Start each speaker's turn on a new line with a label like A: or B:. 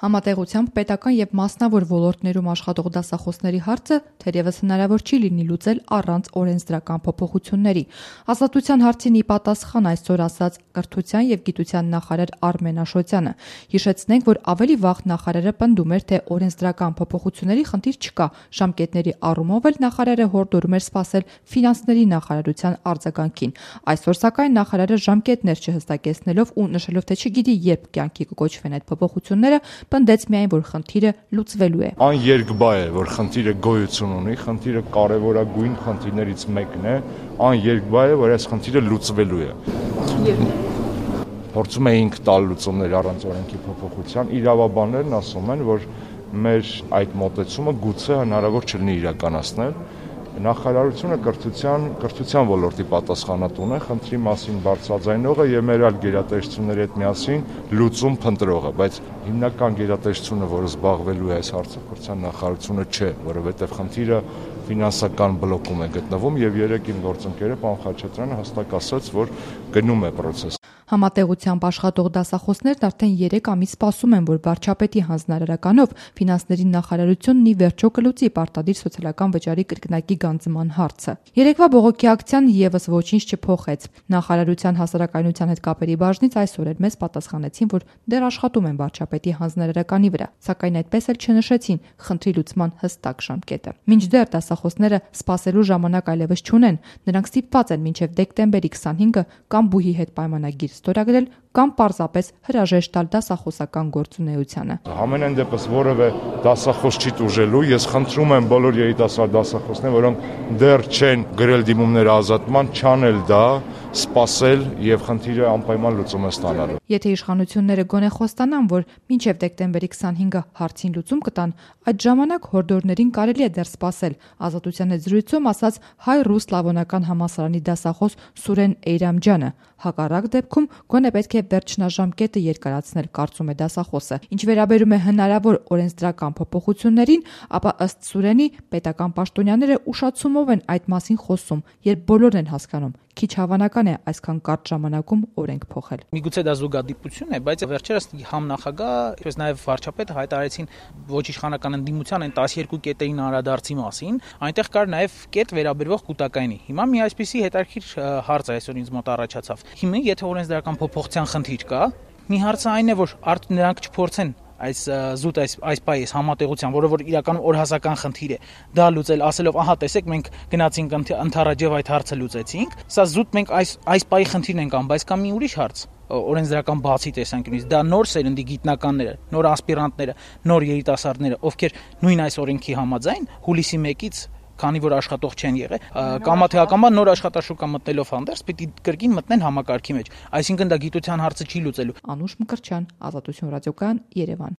A: Համատեղությամբ պետական եւ մասնավոր ոլորտներում աշխատող դասախոսների հարցը թերևս հնարավոր չի լինի լուծել առանց օրենսդրական փոփոխությունների։ Ազատության հարցին ի պատասխան այսօր ասաց Կրթության եւ գիտության նախարար Արմեն Աշոտյանը։ Հիշեցնենք, որ ավելի վաղ նախարարը պնդում էր, թե օրենսդրական փոփոխությունների խնդիր չկա։ Ժամկետների առումով էլ նախարարը հորդորում էր սպասել ֆինանսների նախարարության արձագանքին։ Այսօր սակայն նախարարը ժամկետներ չհստակեցնելով ու նշելով, թե չգիտի երբ կյանքի կկոչվեն այդ փոփոխությունները, պնդեց միայն, որ խնդիրը լուծվելու է։
B: Աներկբա է, որ խնդիրը գոյություն ունի, խնդիրը կարևորագույն խնդիրներից մեկն է, աներկբա է, որ այս խնդիրը լուծվելու է։ Փորձում էինք տալ լուծումներ առանց օրենքի փոփոխության, իրավաբաններն ասում են, որ մեր այդ մոտեցումը գուցե հնարավոր չլինի իրականացնել։ Նախարարությունը կրթության ոլորտի պատասխանատուն է, խնդրի մասին բարձրաձայնողը եւ մեր այլ գերատեսչությունների հետ միասին լուծում փնտրողը, բայց հիմնական գերատեսչությունը, որը զբաղվելու է այս հարցով, կրթության նախարարությունը չէ, որովհետեւ խնդիրը ֆինանսական բլոկում է գտնվում եւ երեք իմ գործընկերը պարոն Խաչատրյանը հստակ ասաց, որ գնում է process։
A: Համատեղությամբ աշխատող դասախոսներն արդեն 3 ամիս սպասում են, որ վարչապետի հանձնարարականով ֆինանսների նախարարությունն ի վերջո կլուծի պարտադիր սոցիալական վճարի կրկնակի գանձման հարցը։ Երեկվա բողոքի ակցիան եւս ոչինչ չփոխեց։ Նախարարության հասարակայնության հետ կապերի բաժնից այսօր էլ մեզ պատասխանեցին, որ դեռ աշխատում են վարչապետի հանձնարարականի վրա, սակայն այդպես էլ չնշեցին խնդրի լուծման հստակ ժամկետը։ Մինչդեռ դասախոսները սպասելու ժամանակ այլևս չունեն, նրանք ստիպված են մինչև դեկտեմբերի 25-ը կամ բուհի հետ պայմանագիր ստորագրել կամ պարզապես հրաժեշտ տալ դասախոսական գործունեությանը։
B: Ամենայն դեպս որևէ դասախոս չի տուժելու, ես խնդրում եմ բոլոր երիտասարդ դասախոսներին, որոնք դեռ չեն գրել դիմումներ ազատման, չանել դա, սպասել եւ խնդիրը անպայման լուծում է ստանալու։
A: Եթե իշխանությունները գոնե խոստանան, որ մինչև դեկտեմբերի 25-ը հարցին լուծում կտան, այդ ժամանակ հորդորներին կարելի է դեռ սպասել։ Ազատության հետ զրույցում ասաց հայ-ռուս սլավոնական համալսարանի դասախոս Սուրեն Էյրամջյանը։ Հակառակ դեպքում գոնե պետք է վերջնաժամկետը երկարացնել, կարծում է դասախոսը։ Ինչ վերաբերում է հնարավոր օրենսդրական փոփոխություններին, ապա ըստ Սուրենի պետական պաշտոնյաները ուշացումով են այդ մասին խոսում, երբ բոլորն են հասկանում, քիչ հավանական է այսքան կարճ ժամանակում օրենք փոխել։
C: Միգուցե դա զուգադիպություն է, բայց վերջերս համ նախագահ, ինչպես նաև վարչապետը հայտարարեցին ոչ իշխանական ընդդիմության այն 12 կետերին անդրադարձի մասին, այնտեղ կար նաև կետ վերաբերվող կൂട്ടակայինի։ Հիմա մի այսպիսի հետաքրքիր հարց այսօր ինձ մոտ առաջացավ։ Հիմա եթե օրենսդրական փոփոխության խնդիր կա, մի հարցը այն է, որ արդ նրանք չփորձեն այս պայես համատեղության, որը որ իրականում օրհասական խնդիր է, դա լուծել, ասելով, ահա տեսեք, մենք գնացինք ընդառաջև այդ հարցը լուծեցինք, սա զուտ մենք այս պայի խնդիրն ենք անում, բայց կա մի ուրիշ հարց, օրենսդրական բացի տեսանկյունից, դա նոր սերնդի գիտնականները, նոր ասպիրանտները, նոր երիտասարդները, ովքեր նույն այս օրենքի համաձայն հուլիսի 1-ից քանի որ աշխատող չեն եղել, կամա թե ակամա նոր աշխատաշուկա մտնելով հանդերձ պիտի կրկին մտնեն համակարգի մեջ։ Այսինքն դա գիտության հարցը չի լուծելու։
A: Անուշ Մկրտչյան, Ազատություն ռադիոկայան, Երևան։